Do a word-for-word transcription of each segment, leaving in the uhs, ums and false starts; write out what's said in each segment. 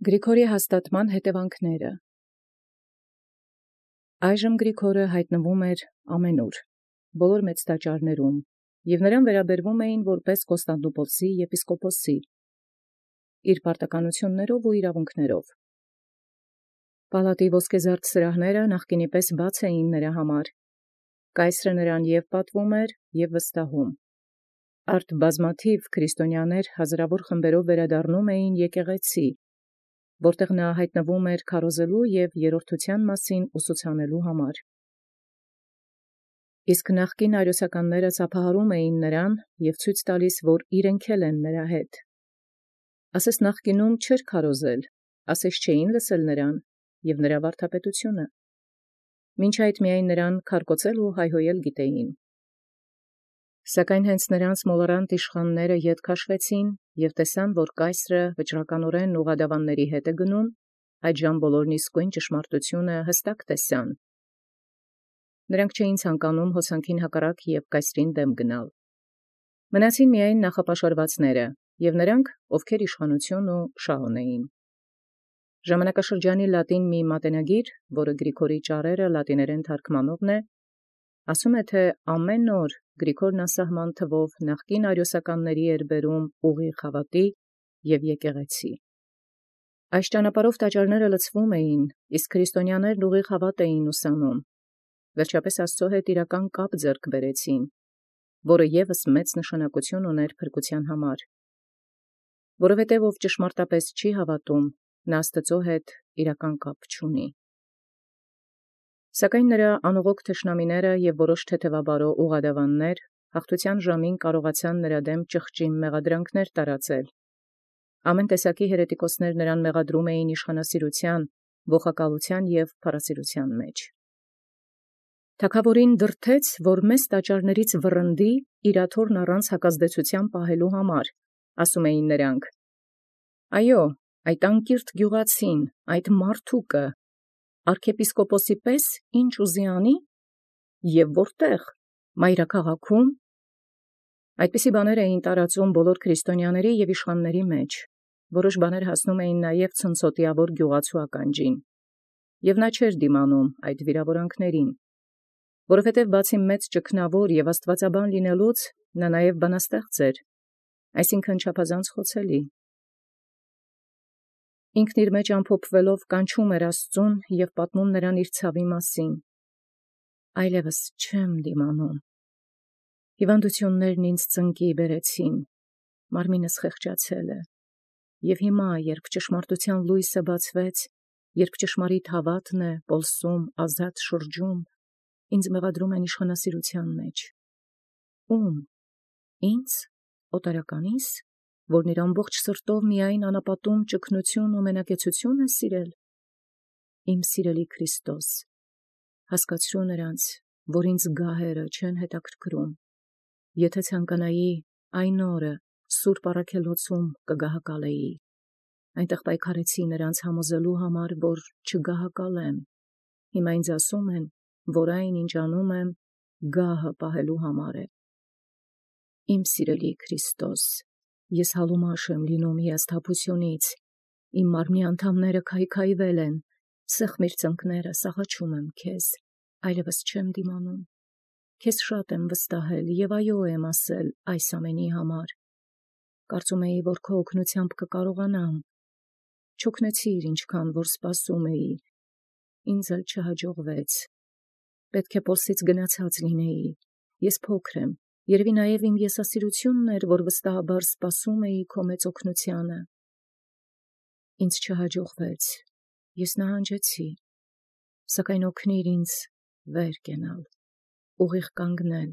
Գրիգորի հաստատման հետևանքները։ Այժմ Գրիգորը հայտնվում էր ամենուր, բոլոր մեծ տաճարներում, և նրան վերաբերվում էին որպես Կոստանդնուպոլսի եպիսկոպոսի, իր պարտականութիւններով ու իրաւունքներով։ Պալատի ոսկեզարդ սրահները նախկինի պես բաց էին նրա համար, կայսրը նրան և պատվում էր և վստահում։ Արդ բազմաթիվ քրիստոնյաներ հազարավոր խմբերով վերադառնում էին եկեղեցի, որտեղ նա հայտնվում էր քարոզելու և երրորդութեան մասին ուսուցանելու համար։ Իսկ նախկին արիոսականները ծափահարում էին նրան և ցույց տալիս, որ իրենք էլ են նրա հետ։ Ասես նախկինում չէր քարոզել, ասես չէին լսել նրան և նրա վարդապետությունը։ Մինչ այդ միայն նրան քարկոծել ու հայհոյել գիտեին։ Սակայն հենց նրանց մոլորանտ իշխանները ետ քաշվեցին և տեսան, որ կայսրը վճռականորեն ուղղադավանների հետ է գնում, այդժամ բոլորն իսկույն ճշմարտությունը հստակ տեսան։ Նրանք չէին ցանկանում հոսանքին հակառակ և կայսրին դեմ գնալ։ Մնացին միայն նախապաշարվածները և նրանք, ովքեր իշխանություն ու շահ ունեին։ Ժամանակաշրջանի լատին մի մատենագիր, որը Գրիգորի ճառերը լատիներեն թարգմանողն է, ասում է, թե ամեն օր Գրիգորն անսահման թվով նախկին արիոսականների էր բերում ուղիղ հավատի և եկեղեցի։ Այս ճանապարհով տաճարները լցվում էին, իսկ քրիստոնյաներն ուղիղ հավատ էին ուսանում, վերջապես Աստծո հետ իրական կապ ձեռք բերեցին, որը ևս մեծ նշանակություն ուներ փրկության համար։ Որովհետև ով ճշմարտապես չի հավատում, նա Աստծո հետ իրական կապ չունի։ Սակայն նրա անողոք թշնամիները և որոշ թեթևաբարո ուղղադավաններ հաղթության ժամին կարողացան նրա դեմ ճղճի մեղադրանքներ տարածել։ Ամեն տեսակի հերետիկոսներ նրան մեղադրում էին իշխանասիրության, ողակալության և փառասիրության մեջ։ Թագաւորին դրդեց, որ մեծ տաճարներից վռնդի իր աթոռն առանց հակազդեցության պահելու համար, ասում էին նրանք. «Այո, այդ անկիրթ գյուղացին, այդ մարդուկը, արքեպիսկոպոսի պես ինչ ուզի անի, և որտեղ, մայրաքաղաքում»։ Այդպիսի բաներ էին տարածում բոլոր քրիստոնյաների և իշխանների մեջ, որոշ բաներ հասնում էին նաև ցնցոտիավոր գյուղացու ականջին, և նա չէր դիմանում այդ վիրավորանքներին, որովհետև բացի մեծ ճգնավոր և աստվածաբան լինելուց, նա նաև բանաստեղծ էր, այսինքն չափազանց խոցելի։ Ինքն իր մեջ ամփոփվելով կանչում էր Աստծուն և պատմում նրան իր ցավի մասին։ «Այլևս չեմ դիմանում. հիվանդություններն ինձ ծնկի բերեցին, մարմինս խեղճացել է, և հիմա, երբ ճշմարտության լույսը բացվեց, երբ ճշմարիտ հավատն է պոլսում ազատ շրջում, ինձ մեղադրում են իշխանասիրության մեջ։ Ո՞ւմ, ինձ, օտարականի՞ս, որն իր ամբողջ սրտով միայն անապատում ճգնություն ու մենակեցություն է սիրել։ Իմ սիրելի Քրիստոս, հասկացրու նրանց, որ ինձ գահերը չեն հետաքրքրում։ Եթե ցանկանայի, այն օրը սուրբ առաքելոցում կգահակալեի։ Այնտեղ պայքարեցի նրանց համոզելու համար, որ չգահակալեմ։ Հիմա ինձ ասում են, որ այն, ինչ անում եմ, գահը պահելու համար է։ Իմ սիրելի Քրիստոս, ես հալումաշ եմ լինում հիասթափությունից, իմ մարմնի անդամները քայքայվել են, սեղմիր ծնկներս, աղաչում եմ քեզ, այլևս չեմ դիմանում։ Քեզ շատ եմ վստահել և այո եմ ասել այս ամենի համար։ Կարծում էի, որ քո օգնությամբ կկարողանամ։ Չօգնեցիր, ինչքան որ սպասում էի, ինձ էլ չհաջողվեց։ Պետք է Պոլսից գնացած լինեի, ես փոքր եմ, երևի նաև իմ եսասիրությունն էր, որ վստահաբար սպասում էի քո մեծ օգնությանը։ Ինձ չհաջողվեց, ես նահանջեցի, սակայն օգնիր ինձ վեր կենալ, ուղիղ կանգնել,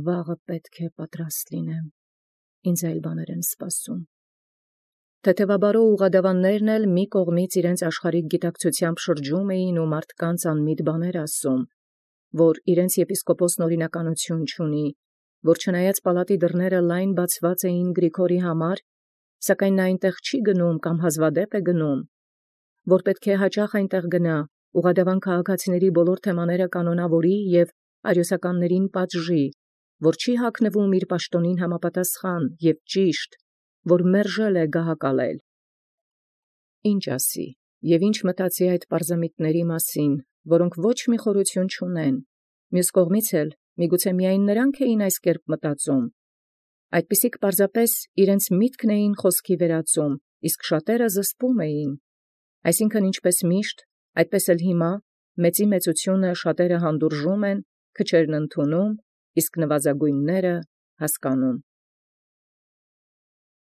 վաղը պետք է պատրաստ լինեմ, ինձ այլ բաներ են սպասում։ Թեթևաբարո ուղղադավաններն էլ մի կողմից իրենց աշխարհիկ գիտակցությամբ շրջում էին ու մարդկանց անմիտ բաներ ասում, որ իրենց եպիսկոպոսն օրինականություն չունի, որ չնայած պալատի դռները լայն բացված էին Գրիգորի համար, սակայն նա այնտեղ չի գնում կամ հազվադեպ է գնում, որ պետք է հաճախ այնտեղ գնա, ուղղադավան քաղաքացիների բոլոր թեմաները կանոնավորի և արիոսականներին պատժի, որ չի հագնվում իր պաշտոնին համապատասխան և ճիշտ, որ մերժել է գահակալել։ ինչ ասի, և ինչ մտածի այդ պարզամիտների մասին, որոնք ոչ մի խորություն չունեն, մյուս կողմից էլ միգուցե միայն նրանք էին այս կերպ մտածում, այդպիսիք պարզապես իրենց միտքն էին խոսքի վերածում, իսկ շատերը զսպում էին, այսինքն ինչպես միշտ, այդպես էլ հիմա մեծի մեծությունը շատերը հանդուրժում են, քչերն ընդունում, իսկ նվազագույնները հասկանում։